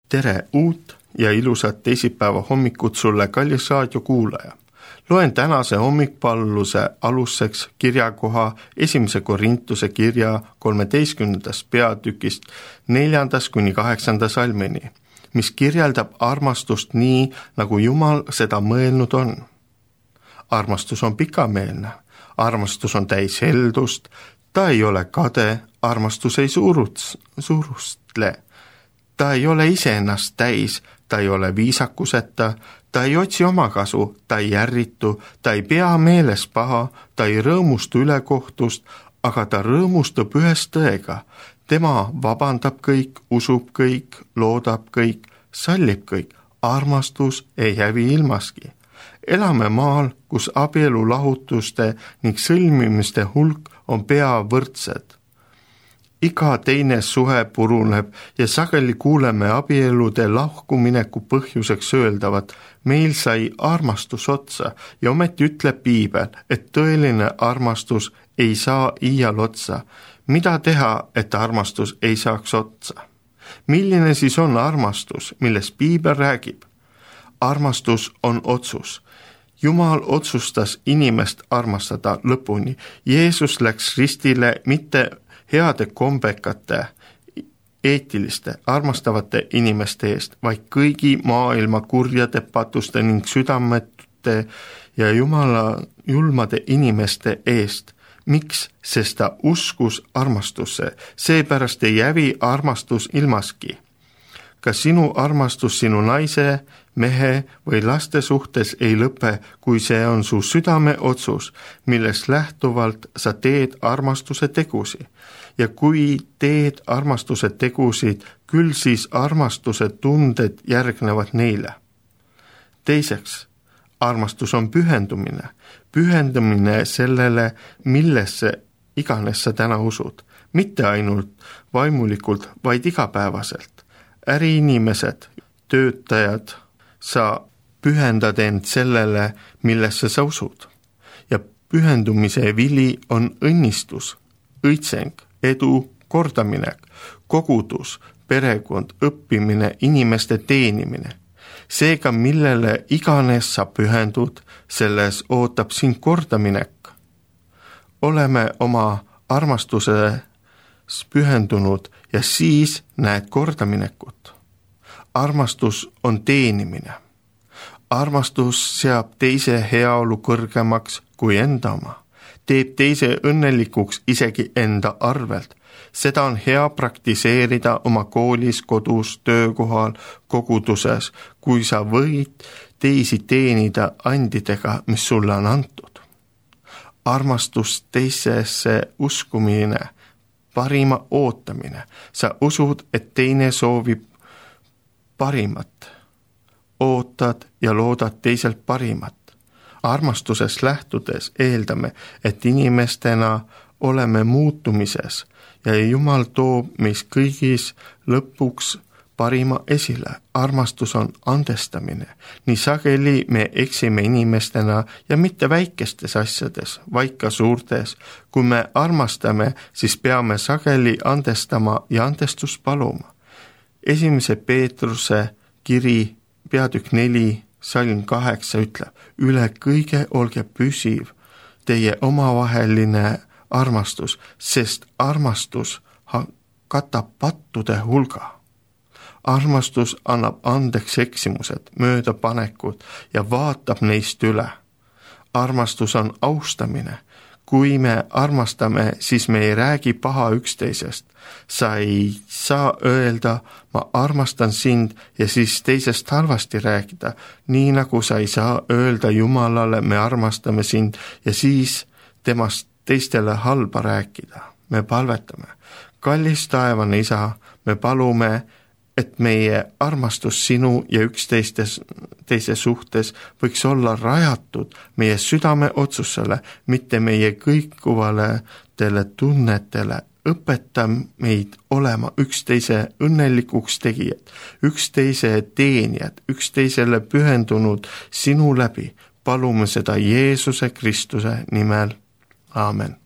tere uut ja ilusat teisipäeva hommikut sulle, kallis raadiokuulaja. Loen tänase hommikpalluse aluseks kirjakoha 1. Korintuse kirja 13. peatükist 4-8 salmini, mis kirjeldab armastust nii, nagu Jumal seda mõelnud on. Armastus on pikameelne, armastus on täis heldust, ta ei ole kade, armastus ei suurustle. Ta ei ole iseennast täis, ta ei ole viisakuseta, ta ei otsi omakasu, ta ei ärritu, ta ei pea meeles paha, ta ei rõõmustu ülekohtust, aga ta rõõmustab ühes tõega. Tema vabandab kõik, usub kõik, loodab kõik, sallib kõik, armastus ei hävi ilmaski. Elame maal, kus abielulahutuste ning sõlmimiste hulk on pea võrdsed. Iga teine suhe puruneb ja sageli kuuleme abielude lahkumineku põhjuseks öeldavat, meil sai armastus otsa ja ometi ütleb Piibel, et tõeline armastus ei saa iial otsa. Mida teha, et armastus ei saaks otsa? Milline siis on armastus, millest Piibel räägib? Armastus on otsus. Jumal otsustas inimest armastada lõpuni. Jeesus läks ristile mitte heade kombekate, eetiliste, armastavate inimeste eest, vaid kõigi maailma kurjade, patuste ning südametute ja Jumala julmade inimeste eest. Miks? Sest ta uskus armastusse, seepärast ei hävi armastus ilmaski. Ka sinu armastus sinu naise, mehe või laste suhtes ei lõpe, kui see on su südame otsus, millest lähtuvalt sa teed armastuse tegusi. Ja kui teed armastuse tegusid, küll siis armastuse tunded järgnevad neile. Teiseks, armastus on pühendumine. Pühendumine sellele, millesse iganes sa täna usud. Mitte ainult vaimulikult, vaid igapäevaselt. Äriinimesed, töötajad, sa pühendad end sellele, millesse sa usud. Ja pühendumise vili on õnnistus, õitseng, edu, kordaminek, kogudus, perekond, õppimine, inimeste teenimine. Seega, millele iganes sa pühendud, selles ootab sind kordaminek. Oleme oma armastuses pühendunud ja siis näed kordaminekut. Armastus on teenimine. Armastus seab teise heaolu kõrgemaks kui enda oma. Teeb teise õnnelikuks isegi enda arvelt. Seda on hea praktiseerida oma koolis, kodus, töökohal, koguduses, kui sa võid teisi teenida andidega, mis sulle on antud. Armastus teisesse uskumine, parima ootamine. Sa usud, et teine soovib parimat. Ootad ja loodad teiselt parimat. Armastusest lähtudes eeldame, et inimestena oleme muutumises ja Jumal toob meis kõigis lõpuks parima esile. Armastus on andestamine. Nii sageli me eksime inimestena ja mitte väikestes asjades, vaid ka suurtes. Kui me armastame, siis peame sageli andestama ja andestust paluma. 1. Peetruse kiri, peatükk 4, salm 8 ütleb, üle kõige olge püsiv teie omavaheline armastus, sest armastus katab pattude hulga. Armastus annab andeks eksimused, möödapanekud ja vaatab neist üle. Armastus on austamine. Kui me armastame, siis me ei räägi paha üksteisest. Sa ei saa öelda, ma armastan sind ja siis teisest halvasti rääkida, nii nagu sa ei saa öelda Jumalale, me armastame sind ja siis temast teistele halba rääkida. Me palvetame. Kallis taevane Isa, me palume, et meie armastus sinu ja üksteise suhtes võiks olla rajatud meie südame otsusele, mitte meie kõikuvale tunnetele. Õpeta meid olema üksteise õnnelikuks tegijad, üksteise teenijad, üksteisele pühendunud sinu läbi. Palume seda Jeesuse Kristuse nimel. Aamen.